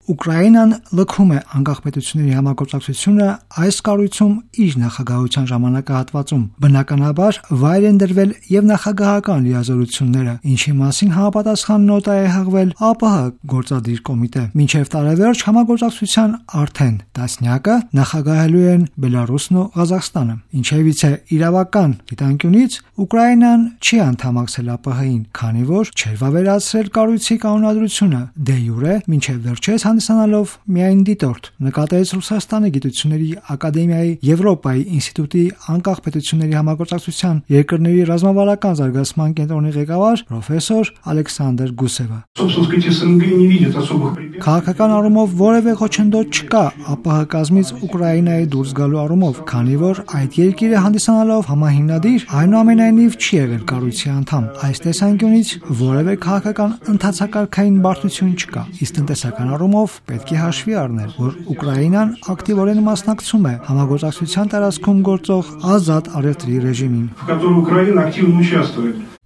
Ուկրաինան լքում է անկախ պետությունների համագործակցությունը այս կառույցում իր նախագահության ժամանակահատվածում։ Բնականաբար վայր են դրվել եւ նախագահական լիազորությունները, ինչի մասին համապատասխան նոտա է հղվել ԱՊՀ գործադիր կոմիտե։ Մինչև տարեվերջ համագործակցության արդեն տասնյակը նախագահելու են Բելարուսն ու Ղազախստանը։ Ինչևիցե իրավական դիտանկյունից Ուկրաինան չի անդամակցել ԱՊՀ-ին, քանի որ չէր վավերացրել կառույցի կանոնադրությունը դե յուրե, մինչև վերջերս հանդիսանալով միայն դիտորդ, նկատեց Ռուսաստանի գիտությունների ակադեմիայի Եվրոպայի ինստիտուտի անկախ պետությունների համագործակցության երկրների ռազմավարական զարգացման կենտրոնի ղեկավար պրոֆեսոր Ալեքսանդր Գուսևը։ Քաղաքական առումով որևէ խոչընդոտ չկա ԱՊՀ կազմից Ուկրաինայի դուրս գալու առումով, քանի որ այդ երկիրը հանդիսանալով համահիմնադիր, այնուամենայնիվ չի եղել կառույցի անդամ։ Այս տեսանկյունից որևէ քաղաքական ընթացակարգային բարդություն չկա, իսկ տնտեսական առումով պետք է հաշվի առնել, որ Ուկրաինան ակտիվորեն մասնակցում է համագործակցության տարածքում գործող ազատ առևտրի ռեժիմին։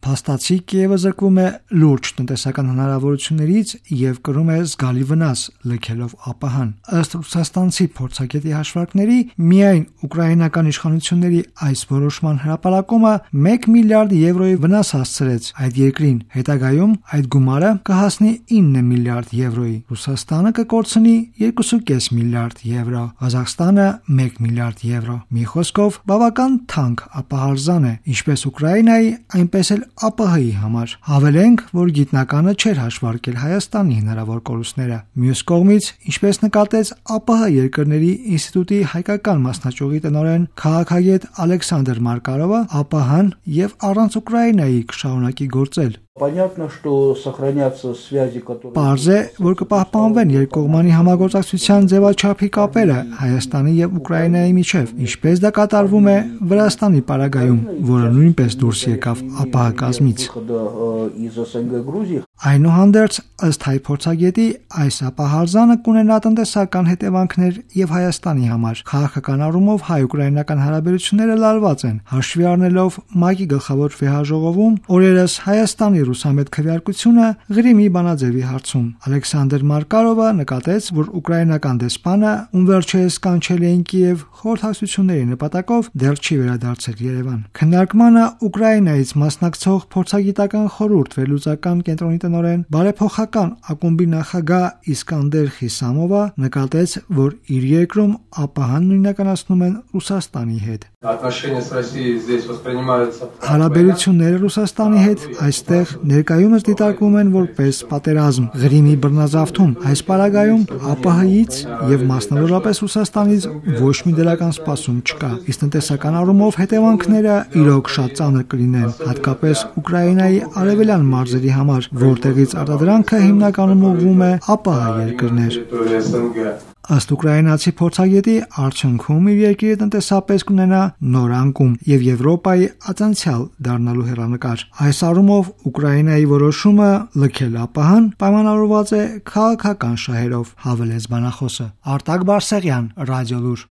Փաստացի Կիևը զրկվում է լուրջ տնտեսական հնարավորություններից եւ կրում է զգալի վնաս լքելով ԱՊՀ-ն։ Ըստ ռուսաստանցի փորձագետի հաշվարկների, միայն ուկրաինական իշխանությունների այս որոշման հրապարակումը 1 միլիարդ եվրոյի վնաս հասցրեց այդ երկրին։ Հետագայում այդ գումարը կհասնի 9 միլիարդ եվրոյի։ Ռուսաստանը կկորցնի 2.5 միլիարդ եվրո, Ղազախստանը 1 միլիարդ եվրո։ Մի խոսքով բավական թանկ ԱՊՀ-արձան է, ինչպես Ուկրաինայի, այնպես էլ ԱՊՀ-ի համար։ Հավելենք, որ գիտնականը չէր հաշվարկել Հայաստանի հնարավոր կորուստները։ Մյուս կողմից, ինչպես նկատեց ԱՊՀ երկրների ինստիտուտի հայկական մասնաճյուղի տնօրեն քաղաքագետ Ալեքսանդր Մարկարովը, ԱՊՀ-ն եւ առանց Ուկրաինայի կշարունակի գործել։ Պարզ է, որ կպահպանվեն երկկողմանի համագործակցության ձևաչափի կապերը Հայաստանի եւ Ուկրաինայի միջև, ինչպես դա կատարվում է Վրաստանի պարագայում, որը նույնպես դուրս եկավ ԱՊՀ կազմից։ Այնուհանդերձ, ըստ հայ փորձագետի, այս ԱՊՀ-արձանը կունենա տնտեսական հետևանքներ եւ Հայաստանի համար։ Քաղաքական առումով հայ-ուկրաինական հարաբերությունները լարված են, հաշվի առնելով ՄԱԿ-ի գլխավոր վեհաժողովում օրերս Հայաստանի ռուսամետ քվեարկությունը Ղրիմի բանաձևի հարցում։ Ալեքսանդր Մարկարովը նկատեց, որ ուկրաինական դեսպանը, ում վերջերս կանչել էին Կիև խորհրդակցությունների նպատակով, դեռ չի վերադարձել Երևան։ Քննարկմանը Ուկրաինայից մասնակցող փորձագիտական խորհուրդ վերլուծական կենտրոնի տնօրեն բարեփոխական ակումբի նախագահ Իսկանդեր Խիսամովը նկատեց, որ իր երկրում ԱՊՀ-ն նույնականացնում են Ռուսաստանի հետ։ Հարաբերությունները Ռուսաստանի հետ այստեղ ներկայումս դիտարկվում են որպես պատերազմ Ղրիմի բռնազավթում։ Այս պարագայում ԱՊՀ-ից եւ մասնավորապես Ռուսաստանից ոչ մի դրական սպասում չկա, իսկ տնտեսական առումով հետևանքները իրոք շատ ծանր կլինեն, հատկապես Ուկրաինայի արևելյան մարզերի համար, որտեղից արտադրանքը հիմնականում ուղղվում է ԱՊՀ երկրներ։ Ըստ ուկրաինացի փորձագետի, արդյունքում իր երկիրը տնտեսապես կունենա նոր անկում եւ Եվրոպայի ածանցյալ դառնալու հեռանկար։ Այս առումով Ուկրաինայի որոշումը լքել ԱՊՀ-ն պայմանավորված է քաղաքական շահերով, հավելեց բանախոսը։ Արտակ Բարսեղյան, Ռադիոլուր։